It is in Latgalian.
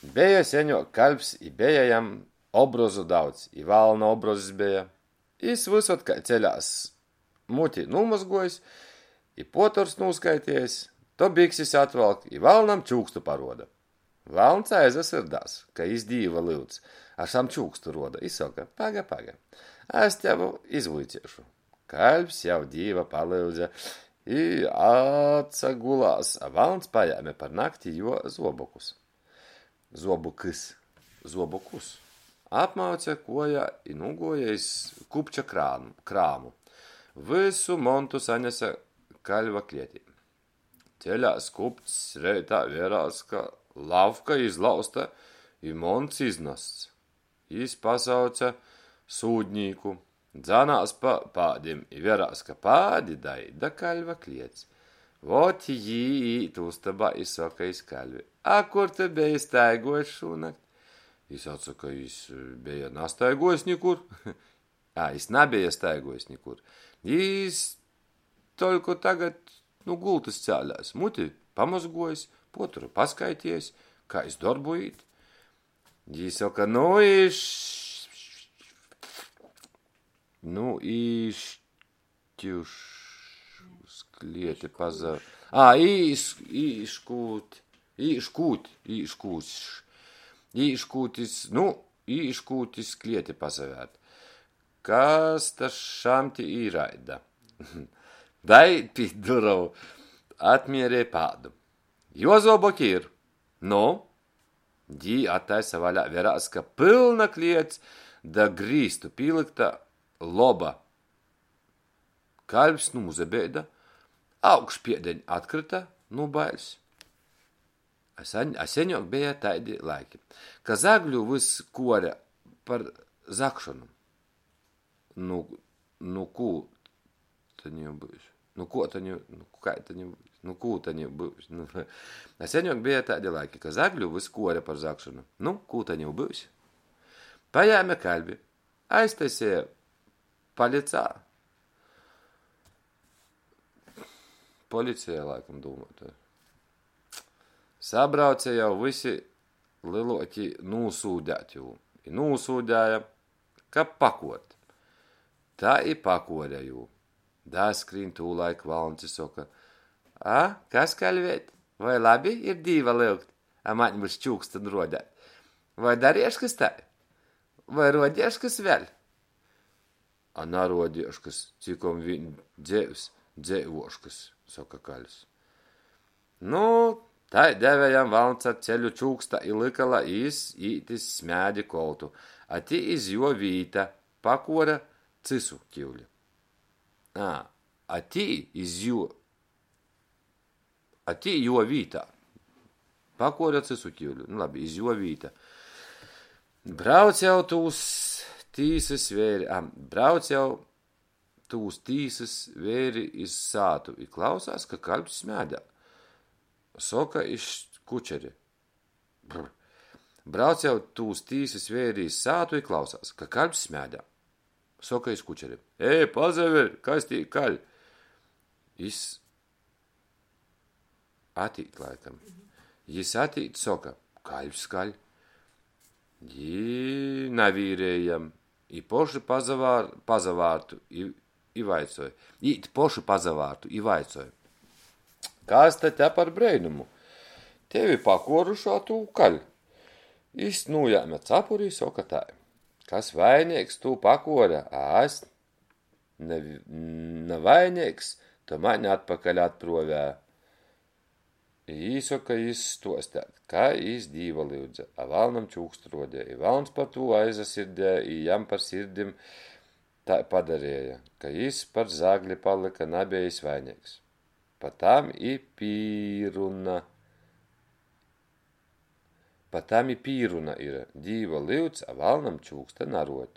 Beja seņuok kaļvs i beja jam obrozu daudz, i valna obrozs beja. Jis vysod kai ceļās, muti nūmozguojs i puotorus nūskaitiejs, to biksis atvalk i valnam čūkstu paruoda. Valns aizasyrdās, ka jis Dīva lyudz, a šam čūkstu ruoda i soka, Paga, paga, es tev izvuiceišu. Kaļvs jau Dīva palyudze i atsagulās, a valns pajēme par nakti juo zuobokus. Zuobokys. Zuobokus. Apmauce kuojā i nūguoja iz kupča krāmu. Vysu montu sanese kaļva klietī. Ceļās kupcs reitā, verās, ka lavka izlauzta i monts iznasts. Jis pasauce sūdnīku, dzanās pa pādim i verās, ka pādi daīt da kaļva kliets. Vot jī īt ustobā i soka iz kaļvi: A kur tu beji staiguojs šūnakt? Jis atsoka, jis beja nastaiguojs nikur. A, jis nabeja staiguojs nikur. Jis toļko tagad nu gultys cēlēs, muti pamozguojs, puotoru paskaitiejs, kai iz dorbu īt. Jī soka, nu iš... Nu īškiuš uz klieti paza... A, īs, īškūt, īškūt, īškūš, īškūt iz, nu, īškūt iz klieti pasavērt. Kas ta šam ti īraida? Daīt pi durovu, atmierej pādu. Juo zuoboki ir. Nu? Jī attaisa vaļā, verās, ka pylna kliets da grīstu pīlykta loba. Kaļvs nūsabeida, augšpiedeņ atkryta nu baiļs. A seņuok beja taidi laiki, ka zagļu vys kuore par zagšonu. Nu, nu kū ta niu byus? Nu kuo ta niu, nu kai ta niu byus? Nu kū ta niu byus? Nu, a seņuok beja taidi laiki, ka zagļu vys kuore par zagšonu. Nu, kū ta niu byus? Pajēme kaļvi, aiztaiseja palicā. Policija laikam dūmuota. Sabrauce jau vysi lyluoki nūsūdēt jū. I nūsūdēja, kab pakuort. Tai i pakuore jū. Daskrīn tūlaik valns i soka, A, kas, kaļveit, voi labi ir Dīva lyugt, a maņ vys čūkstu ruodēt? Voi darieškys tai? Voi ruodieškys vēļ? A naruodieškys, cikom viņ dzeivs dzeivuoškys, soka kaļvs. Nu, tai deve jam valns ar ceļu čūksta i lyka, lai jis īt iz smēdi koltu, a tī iz juo vīta pakuore cysu kiuli. Ā, a tī iz juo, a tī juo vītā pakuore cysu kiuli. Nu labi, iz juo vīta. Brauc jau tūs tīsys veiri, a, brauc jau tūs tīsys veiri iz sātu i klausās, ka kaļvs smēdā. Soka iz kučeri. Brr. Brauc jau tūs tīsys veiri iz sātu i klausās, ka kaļvs smēdā. Soka iz kučeri. Ej, pasaver, kas tī kaļ! Jis atīt laikam. Jis atīt, soka, kaļvs kaļ. Jī navīrej jam. I poši pasavār, pasavārtu i, i vaicoj. Īt poši pasavārtu i vaicoj. Kas ta te par breinumu? Tevi pakuoruši, a tu kaļ. Jis nūjēme capuri i soka tai. Kas vaineigs, tū pakuore, a es navaineigs, to mani atpakaļ atpruovē. I īsoka jis stuostēt, kai jis Dīva lyudze, a valnam čūkstu ruodeja. I valns par tū aizasirdēja i jam par sirdim tai padareja, ka jis par zagli palyka nabejs vaineigs. Pa tam i pīruna. Pa tam i pīruna ir, Dīva lyudz, a valnam čūksta naruod.